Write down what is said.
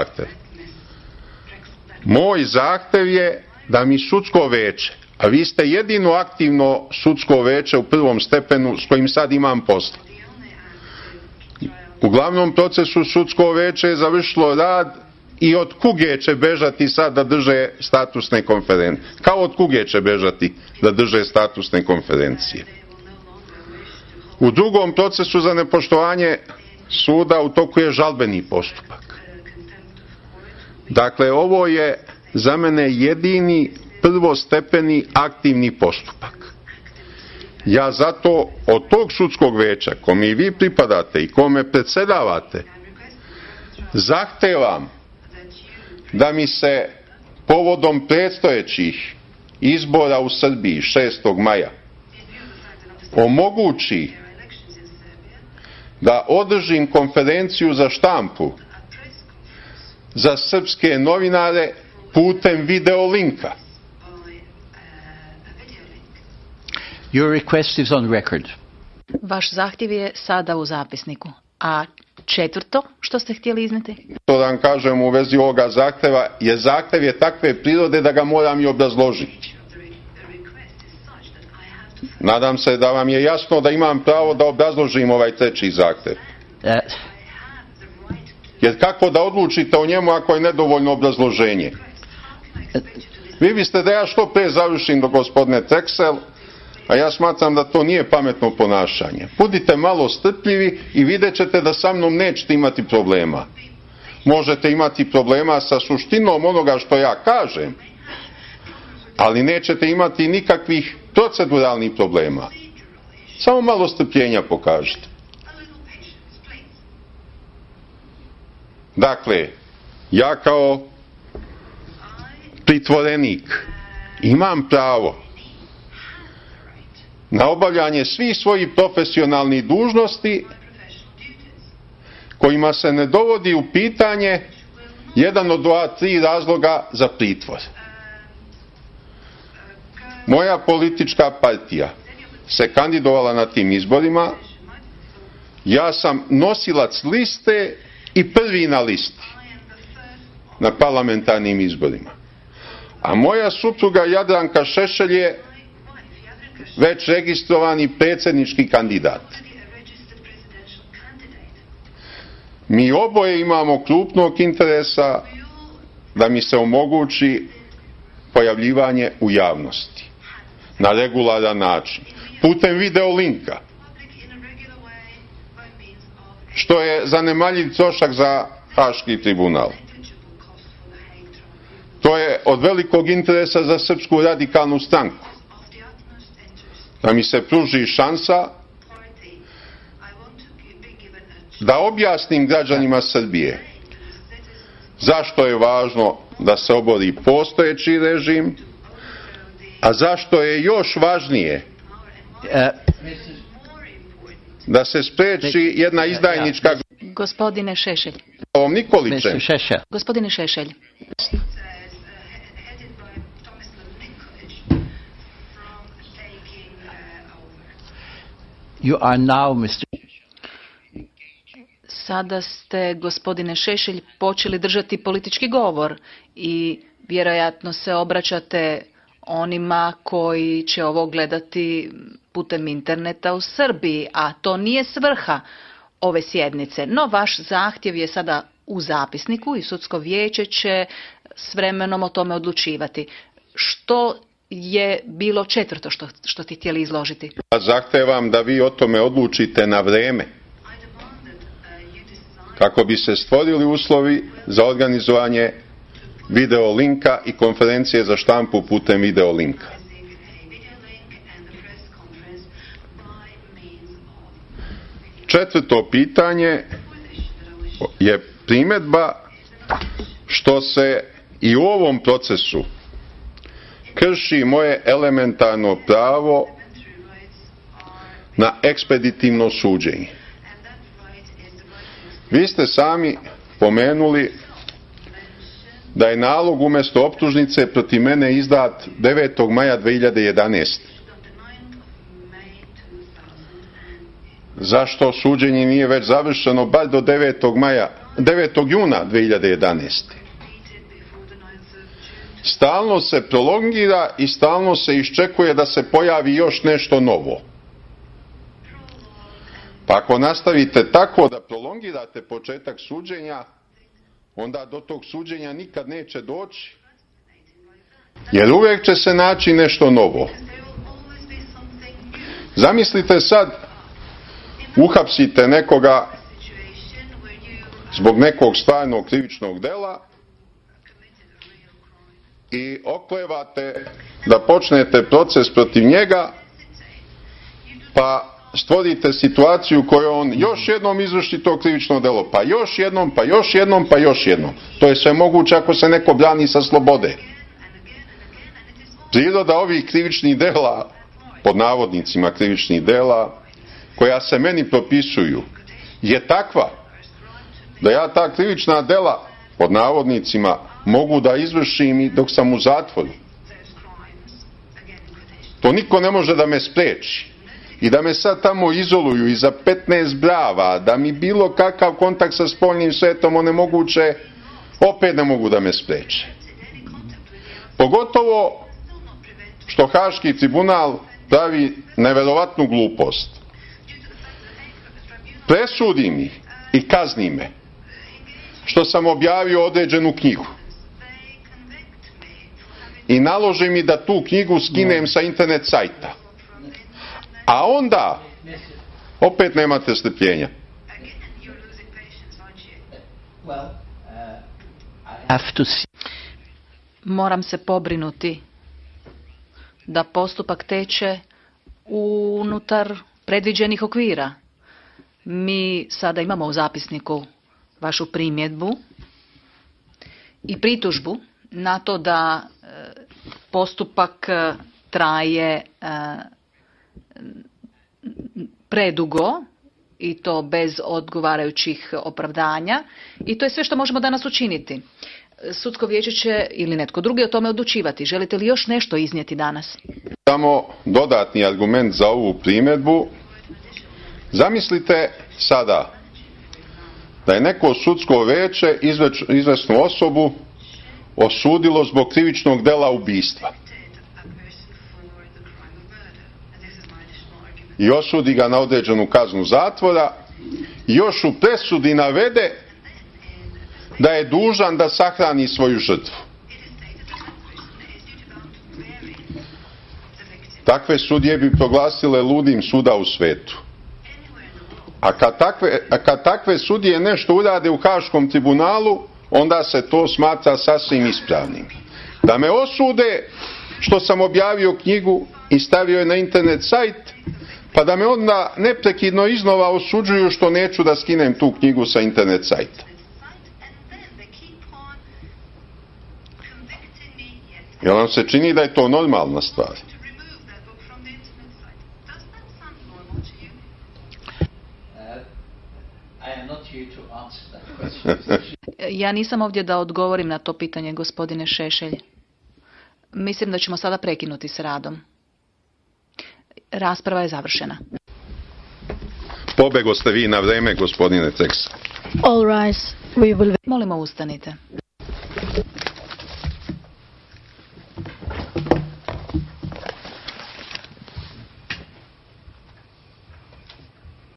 zahtev. Moj zahtev je da mi sudsko veće, a vi ste jedino aktivno sudsko veće u prvom stepenu s kojim sad imam posla. U glavnom procesu sudsko veće je završilo rad i od kuge će bežati sad da drže statusne konferencije. Kao od kuge će bežati da drže statusne konferencije. U drugom procesu za nepoštovanje suda u toku je žalbeni postupak. Dakle, ovo je za mene jedini prvostepeni aktivni postupak. Ja zato od tog sudskog veća, kome i vi pripadate i kome predsedavate, zahtevam da mi se povodom predstojećih izbora u Srbiji 6. maja omogući da održim konferenciju za štampu za srpske novinare putem video linka. Your request is on record. Vaš zahtjev je sada u zapisniku. A četvrto, što ste htjeli izneti? To da vam kažem u vezi ovoga zahteva, je zahtev je takve prirode da ga moram i obrazložiti. Nadam se da vam je jasno da imam pravo da obrazložim ovaj treći zahtev. Jer kako da odlučite o njemu ako je nedovoljno obrazloženje? Vi biste da ja što pre završim do gospodine Teksel, a ja smatram da to nije pametno ponašanje. Budite malo strpljivi i vidjet ćete da sa mnom nećete imati problema. Možete imati problema sa suštinom onoga što ja kažem, ali nećete imati nikakvih proceduralnih problema. Samo malo strpljenja pokažite. Dakle, ja kao pritvorenik imam pravo na obavljanje svih svojih profesionalnih dužnosti kojima se ne dovodi u pitanje jedan od ova tri razloga za pritvor. Moja politička partija se kandidovala na tim izborima, ja sam nosilac liste i prvi na listi na parlamentarnim izborima. A moja supruga Jadranka Šešelj je već registrovani predsjednički kandidat. Mi oboje imamo krupnog interesa da mi se omogući pojavljivanje u javnosti na regularan način, putem video linka, što je zanemarljiv trošak za Haški tribunal. To je od velikog interesa za Srpsku radikalnu stranku. Da mi se pruži šansa da objasnim građanima Srbije zašto je važno da se obori postojeći režim, a zašto je još važnije da se spreči jedna izdajnička... Gospodine Šešelj. Ovom Nikolićem. Gospodine Šešelj. You are now, Mr. Sada ste, gospodine Šešelj, počeli držati politički govor i vjerojatno se obraćate onima koji će ovo gledati putem interneta u Srbiji, a to nije svrha ove sjednice. No, vaš zahtjev je sada u zapisniku i sudsko vijeće će s vremenom o tome odlučivati. Što je bilo četvrto što ste htjeli izložiti? Ja zahtevam da vi o tome odlučite na vreme, kako bi se stvorili uslovi za organizovanje video linka i konferencije za štampu putem video linka. Četvrto pitanje je primjedba što se i u ovom procesu krši moje elementarno pravo na ekspeditivno suđenje. Vi ste sami pomenuli da je nalog umjesto optužnice protiv mene izdat 9. maja 2011. Zašto suđenje nije već završeno bar do 9. maja 9. juna 2011. Stalno se prolongira i stalno se iščekuje da se pojavi još nešto novo. Pa ako nastavite tako da prolongirate početak suđenja, onda do tog suđenja nikad neće doći, jer uvijek će se naći nešto novo. Zamislite sad, uhapsite nekoga zbog nekog stvarnog krivičnog dela i oklevate da počnete proces protiv njega, pa stvorite situaciju u kojoj on još jednom izvrši to krivično delo, pa još jednom, pa još jednom, pa još jednom. To je sve moguće ako se neko brani sa slobode. Priroda ovih krivičnih dela, pod navodnicima krivičnih dela, koja se meni propisuju, je takva da ja ta krivična dela, pod navodnicima, mogu da izvršim i dok sam u zatvoru. To niko ne može da me spreči. I da me sad tamo izoluju iza 15 brava, da mi bilo kakav kontakt sa spoljnim svetom onemoguće, opet ne mogu da me spreče. Pogotovo što Haški tribunal pravi neverovatnu glupost. Presudi mi i kazni me što sam objavio određenu knjigu i naloži mi da tu knjigu skinem sa internet sajta. A onda opet nemate strpljenja. Moram se pobrinuti da postupak teče unutar predviđenih okvira. Mi sada imamo u zapisniku vašu primjedbu i pritužbu na to da postupak traje predugo i to bez odgovarajućih opravdanja i to je sve što možemo danas učiniti. Sudsko vijeće će ili netko drugi o tome odlučivati. Želite li još nešto iznijeti danas? Samo dodatni argument za ovu primjedbu. Zamislite sada da je neko sudsko vijeće izvesnu osobu osudilo zbog krivičnog dela ubistva. I osudi ga na određenu kaznu zatvora i još u presudi navede da je dužan da sahrani svoju žrtvu. Takve sudije bi proglasile ludim svuda u svetu. A kad takve sudije nešto urade u Haškom tribunalu, onda se to smatra sasvim ispravnim. Da me osude što sam objavio knjigu i stavio je na internet sajt, pa da me onda neprekidno iznova osuđuju što neću da skinem tu knjigu sa internet sajta. Jer vam se čini da je to normalna stvar? Ja nisam ovdje da odgovorim na to pitanje, gospodine Šešelj. Mislim da ćemo sada prekinuti s radom. Rasprava je završena. Pobego ste vi na vreme, gospodine Teksa. All rise. We will... Molimo, ustanite.